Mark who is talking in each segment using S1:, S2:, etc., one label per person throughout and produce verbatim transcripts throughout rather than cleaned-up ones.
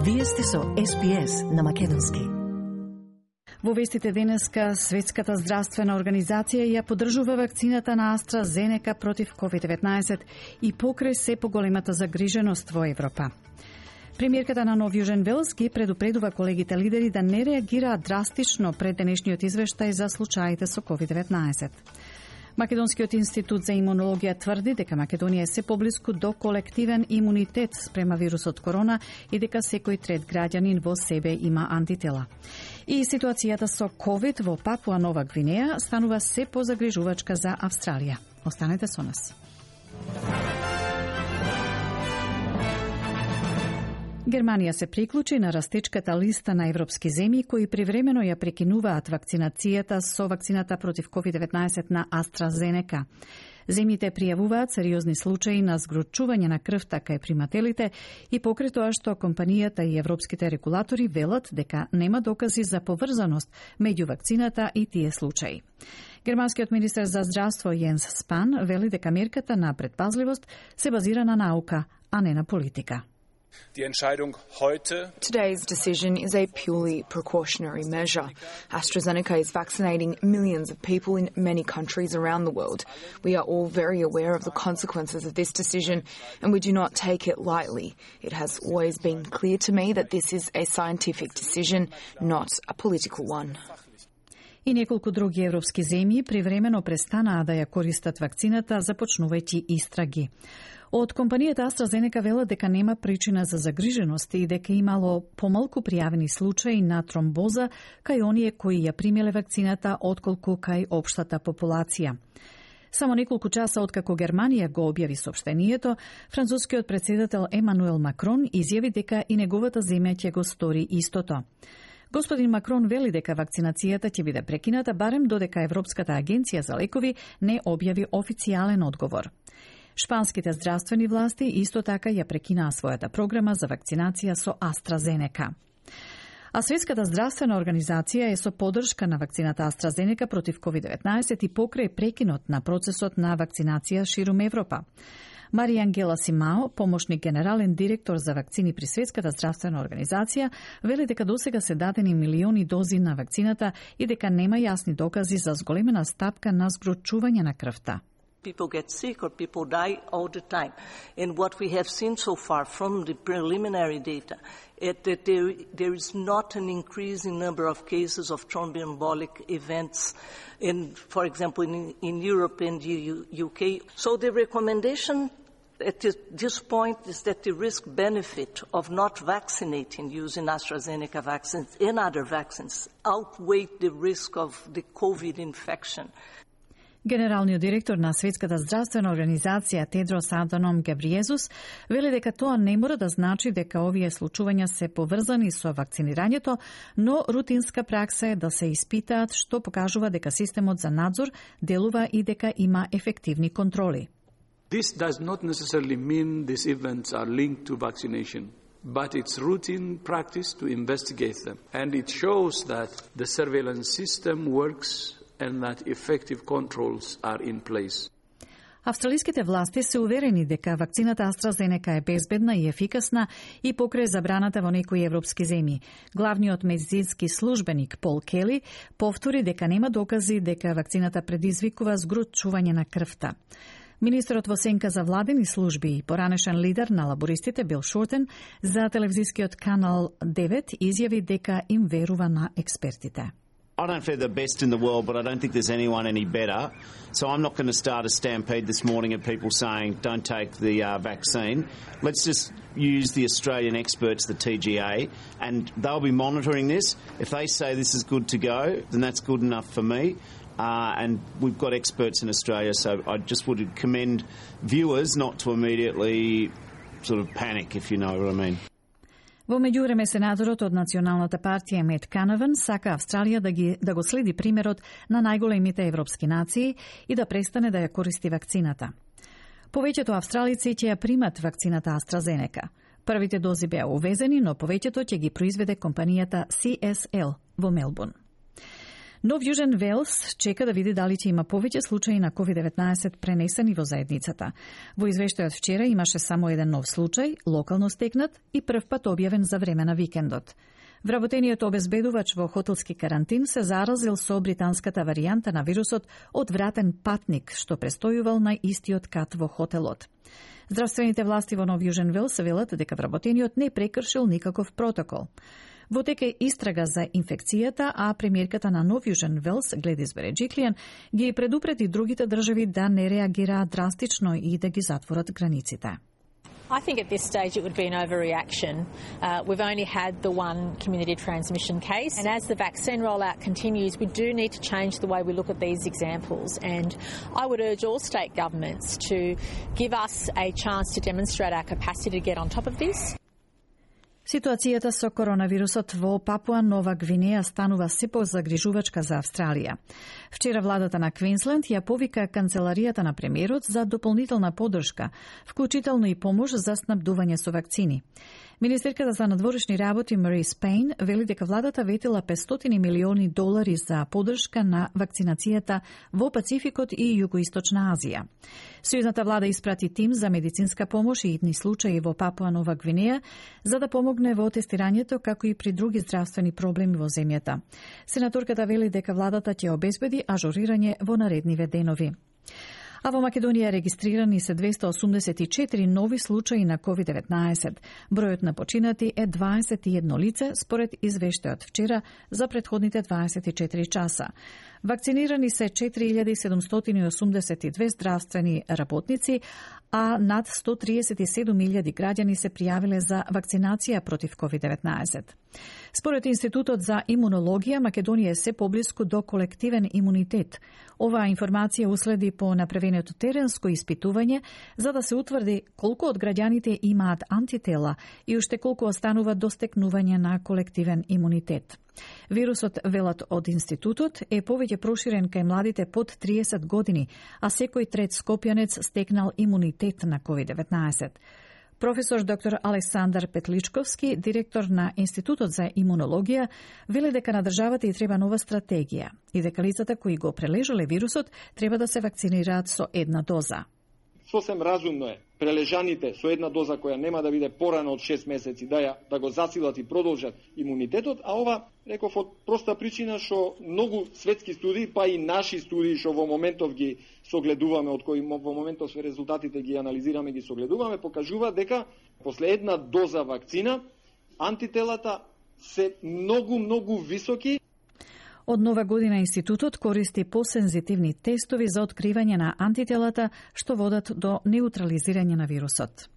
S1: Вие сте со Ес Би Ес на македонски. Во вестите денеска, Светската здравствена организација ја поддржува вакцината на AstraZeneca против ковид деветнаесет и покрај се поголемата загриженост во Европа. Премиерката на Нов Јужен Велс ги предупредува колегите лидери да не реагираат драстично пред денешниот извештај за случаите со ковид деветнаесет. Македонскиот институт за имунологија тврди дека Македонија е се поблиску до колективен имунитет спрема вирусот корона и дека секој трет граѓанин во себе има антитела. И ситуацијата со ковид во Папуа Нова Гвинеја станува се позагрижувачка за Австралија. Останете со нас. Германија се приклучи на растечката листа на европски земји кои привремено ја прекинуваат вакцинацијата со вакцината против ковид деветнаесет на AstraZeneca. Земјите пријавуваат сериозни случаи на згрочување на крвта кај примателите и покрај тоа што компанијата и европските регулатори велат дека нема докази за поврзаност меѓу вакцината и тие случаи. Германскиот министер за здравство Јенс Спан вели дека мерката на предпазливост се базира на наука, а не на политика.
S2: Today's decision is a purely precautionary measure. AstraZeneca is vaccinating millions of people in many countries around the world. We are all very aware of the consequences of this decision, and we do not take it lightly. It has always been clear to me that this is a scientific decision, not a political one.
S1: И неколку други европски земји привремено престанаа да ја користат вакцината, започнувајќи истраги. Од компанијата AstraZeneca велат дека нема причина за загриженост и дека имало помалку пријавени случаи на тромбоза кај оние кои ја примиле вакцината отколку кај општата популација. Само неколку часа откако Германија го објави соопштението, францускиот претседател Емануел Макрон изјави дека и неговата земја ќе го стори истото. Господин Макрон вели дека вакцинацијата ќе биде прекината барем додека Европската агенција за лекови не објави официјален одговор. Шпанските здравствени власти исто така ја прекинаа својата програма за вакцинација со AstraZeneca. А Светската здравствена организација е со поддршка на вакцината AstraZeneca против ковид деветнаесет и покрај прекинот на процесот на вакцинација ширум Европа. Марија Ангела Симао, помошник генерален директор за вакцини при Светската здравствена организација, вели дека досега се дадени милиони дози на вакцината и дека нема јасни докази за зголемена стапка на згрочување на крвта.
S3: People get sick or people die all the time. And what we have seen so far from the preliminary data is that there, there is not an increase in number of cases of thromboembolic events, in, for example, in, in Europe and the U K. So the recommendation at this point is that the risk-benefit of not vaccinating using AstraZeneca vaccines and other vaccines outweigh the risk of the COVID infection.
S1: Генералниот директор на Светската здравствена организација Тедрос Аданом Гебриезус вели дека тоа не мора да значи дека овие случувања се поврзани со вакцинирањето, но рутинска пракса е да се испитаат, што покажува дека системот за надзор делува и дека има ефективни контроли.
S4: This does not necessarily mean these events are linked to vaccination, but it's routine practice to investigate them. And it shows that the surveillance system works and that effective controls are in place.
S1: Австралиските власти се уверени дека вакцината AstraZeneca е безбедна и ефикасна и покрај забраната во некои европски земји. Главниот медицински службеник Пол Кели повтори дека нема докази дека вакцината предизвикува згрочување на крвта. Министерот во сенка за владени служби и поранешен лидер на лабористите Бил Шортен за телевизискиот канал девет изјави дека им верува на експертите.
S5: I don't think they're the best in the world, but I don't think there's anyone any better. So I'm not going to start a stampede this morning of people saying don't take the uh, vaccine. Let's just use the Australian experts, the T G A, and they'll be monitoring this. If they say this is good to go, then that's good enough for me. Uh, and we've got experts in Australia, so I just would commend viewers not to immediately sort of panic, if you know what I mean.
S1: Во меѓувреме сенаторот од Националната партија Мет Канаван сака Австралија да, ги, да го следи примерот на најголемите европски нации и да престане да ја користи вакцината. Повеќето австралици ќе ја примат вакцината AstraZeneca. Првите дози беа увезени, но повеќето ќе ги произведе компанијата Си Ес Ел во Мелбурн. Нов Јужен Велс чека да види дали ќе има повеќе случаи на ковид деветнаесет пренесени во заедницата. Во извештајот вчера имаше само еден нов случај, локално стекнат и прв пат објавен за време на викендот. Вработениот обезбедувач во хотелски карантин се заразил со британската варијанта на вирусот од вратен патник, што престојувал на истиот кат во хотелот. Здравствените власти во Нов Јужен Велс велат дека вработениот не прекршил никаков протокол. Во тек е истрага за инфекцијата, а премиерката на Нов Јужен Велс, Гледис Береджиклијан, ги предупреди другите држави да не реагираат драстично и да ги затворат границите.
S6: I think at this stage it would be an overreaction. Uh, we've only had the one community transmission case, and as the vaccine rollout continues, we do need to change the way we look at these examples. And I would urge all state governments to give us a chance to demonstrate our capacity to get on top of this.
S1: Ситуацијата со коронавирусот во Папуа Нова Гвинеја станува се позагрижувачка за Австралија. Вчера владата на Квинсленд ја повика канцеларијата на премиерот за дополнителна поддршка, вклучително и помош за снабдување со вакцини. Министерката за надворешни работи Мари Спейн вели дека владата ветила петстотини милиони долари за поддршка на вакцинацијата во Пацификот и Југоисточна Азија. Сојузната влада испрати тим за медицинска помош и итни случаи во Папуа Нова Гвинеја за да помогне во тестирањето како и при други здравствени проблеми во земјата. Сенаторката вели дека владата ќе обезбеди ажурирање во наредниве денови. А во Македонија регистрирани се двесте осумдесет и четири нови случаи на ковид деветнаесет. Бројот на починати е дваесет и едно лице, според извештајот вчера за претходните дваесет и четири часа. Вакцинирани се четири илјади седумстотини и осумдесет и две здравствени работници, а над сто триесет и седум илјади граѓани се пријавиле за вакцинација против ковид деветнаесет. Според Институтот за имунологија, Македонија е се поблиску до колективен имунитет. Оваа информација уследи по направеното теренско испитување за да се утврди колку од граѓаните имаат антитела и уште колку останува до стекнување на колективен имунитет. Вирусот, велат од институтот, е повеќе проширен кај младите под триесет години, а секој трет скопјанец стекнал имунитет на ковид деветнаесет. Професор доктор Александар Петличковски, директор на Институтот за имунологија, вели дека на државата и треба нова стратегија и дека лицата кои го прележале вирусот треба да се вакцинираат со една доза.
S7: Сосем разумно е прележаните со една доза која нема да биде порано од шест месеци да ја да го засилат и продолжат имунитетот, а ова реков од проста причина што многу светски студии, па и наши студии што во моментов ги согледуваме, од кои во моментов се резултатите ги анализираме, ги согледуваме, покажува дека после една доза вакцина антителата се многу многу високи.
S1: Од нова година институтот користи посензитивни тестови за откривање на антителата што водат до неутрализирање на вирусот.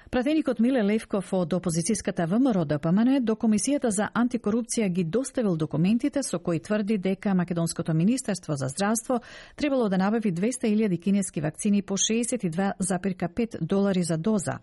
S1: Пратеникот Миле Левков од опозицијската ВМРО Д П М Н до Комисијата за антикорупција ги доставил документите со кои тврди дека Македонското министерство за здравство требало да набави двесте илјади кинески вакцини по шеесет и две зарем пет долари за доза.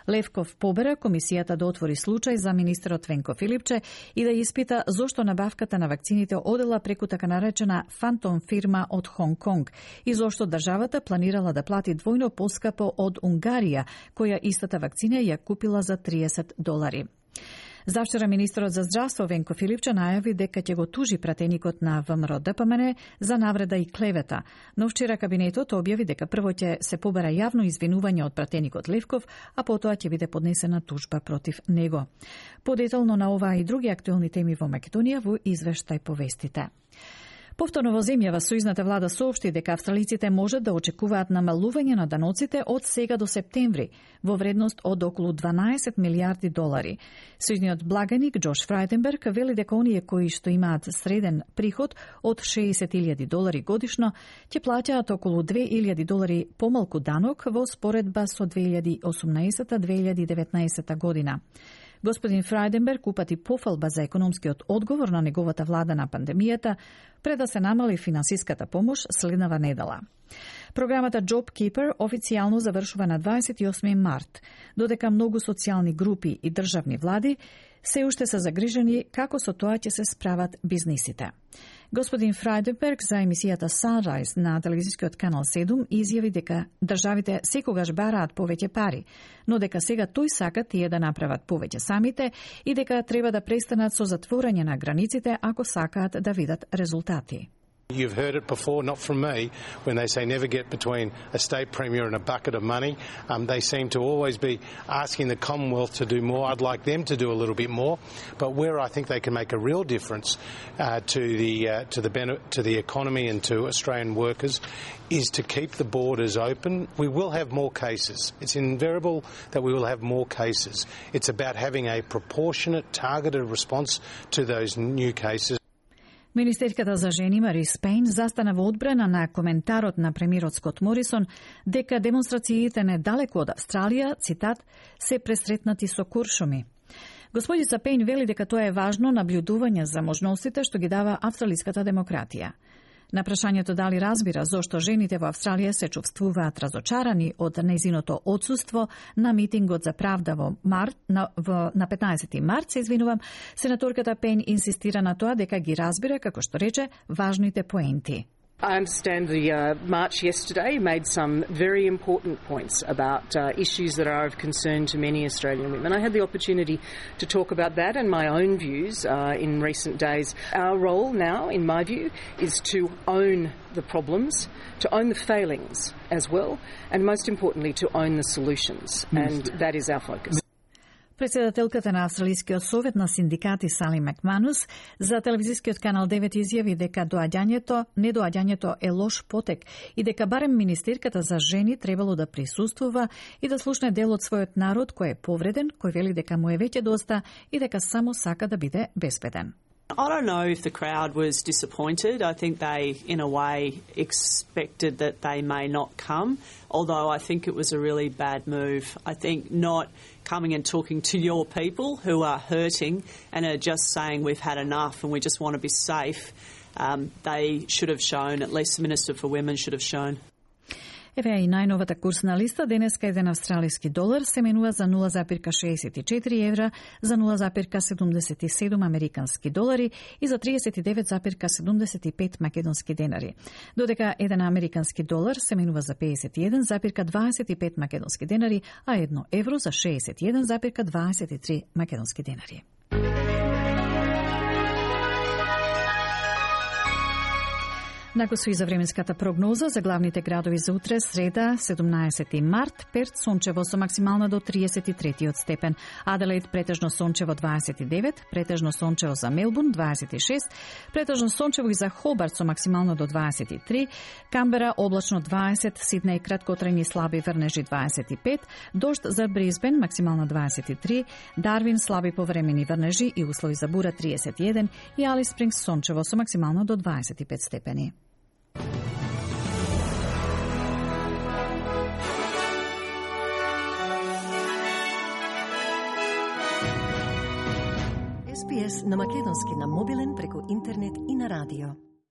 S1: Левков побера Комисијата да отвори случај за министерот Венко Филипче и да испита зошто набавката на вакцините одела преку така наречена фантом фирма од Хонг Конг и зошто државата планирала да плати двојно поскапо од Унгарија, која истата вакцина ја купила за триесет долари. Завчера министерот за здравство Венко Филипче најави дека ќе го тужи пратеникот на ВМРО Д П М Н за навреда и клевета, но вчера кабинетот објави дека прво ќе се побара јавно извинување од пратеникот Левков, а потоа ќе биде поднесена тужба против него. Подетално на оваа и други актуелни теми во Македонија во извештај по вестите. Повторно во земјава сојузната влада соопшти дека австралиците можат да очекуваат намалување на даноците од сега до септември во вредност од околу дванаесет милијарди долари. Сојузниот благаник Џош Фрајденберг вели дека оние кои што имаат среден приход од шеесет илјади долари годишно ќе плаќаат околу две илјади долари помалку данок во споредба со две илјади и осумнаесета - две илјади и деветнаесета година. Господин Фрајденберг упати пофалба за економскиот одговор на неговата влада на пандемијата пред да се намали финансиската помош следнава недела. Програмата JobKeeper официјално завршува на дваесет и осми март, додека многу социјални групи и државни влади се уште се загрижени како со тоа ќе се справат бизнисите. Господин Фрајденберг за емисијата Sunrise на телевизискиот канал седум изјави дека државите секогаш бараат повеќе пари, но дека сега тој сака тие да направат повеќе самите и дека треба да престанат со затворање на границите ако сакаат да видат резултати.
S8: You've heard it before, not from me, when they say never get between a state premier and a bucket of money. Um, they seem to always be asking the Commonwealth to do more. I'd like them to do a little bit more. But where I think they can make a real difference uh, to the uh, to the to the economy and to Australian workers is to keep the borders open. We will have more cases. It's inevitable that we will have more cases. It's about having a proportionate, targeted response to those new cases.
S1: Министерката за жени Мари Спейн застана во одбрана на коментарот на премиерот Скот Морисон дека демонстрациите недалеку од Австралија, цитат, се пресретнати со куршуми. Господица Пейн вели дека тоа е важно наблюдување за можностите што ги дава австралиската демократија. На прашањето дали разбира зошто жените во Австралија се чувствуваат разочарани од нејзиното отсуство на митингот за правда во март на, во, на петнаесети март, се извинувам, сенаторката Пейн инсистира на тоа дека ги разбира, како што рече, важните поенти.
S9: I understand the uh, march yesterday made some very important points about uh, issues that are of concern to many Australian women. I had the opportunity to talk about that and my own views uh, in recent days. Our role now, in my view, is to own the problems, to own the failings as well, and most importantly, to own the solutions. And that is our focus.
S1: Председателката на Австралискиот совет на синдикати Сали Макманус за телевизискиот канал девет изјави дека доаѓањето, недоаѓањето е лош потек и дека барем министерката за жени требало да присуствува и да слушне дел од својот народ кој е повреден, кој вели дека му е веќе доста и дека само сака да биде безбеден.
S10: I don't know if the crowd was disappointed. I think they, in a way, expected that they may not come, although I think it was a really bad move. I think not coming and talking to your people who are hurting and are just saying we've had enough and we just want to be safe, um, they should have shown, at least the Minister for Women should have shown.
S1: Еве и најновата курсна листа. Денеска еден австралиски долар се менува за нула запирка шеесет и четири евра, за нула запирка седумдесет и седум американски долари и за триесет и девет запирка седумдесет и пет македонски денари. Додека еден американски долар се менува за пеесет и еден запирка дваесет и пет македонски денари, а едно евро за шеесет и еден запирка дваесет и три македонски денари. Нагласу и за временската прогноза за главните градови за утре, среда, седумнаесети март, Перт сончево со максимална до триесет и третиот степен, Аделаид претежно сончево дваесет и девет, претежно сончево за Мелбурн дваесет и шест, претежно сончево и за Хобарт со максимално до дваесет и три, Камбера облачно дваесет, Сиднеј краткотрајни слаби врнежи дваесет и пет, дожд за Брисбен максимална дваесет и три, Дарвин слаби повремени врнежи и услови за бура триесет и еден и Алис Спрингс сончево со максимално до дваесет и пет степени.
S11: Ес Би Ес на македонски на мобилен преку интернет и на радио.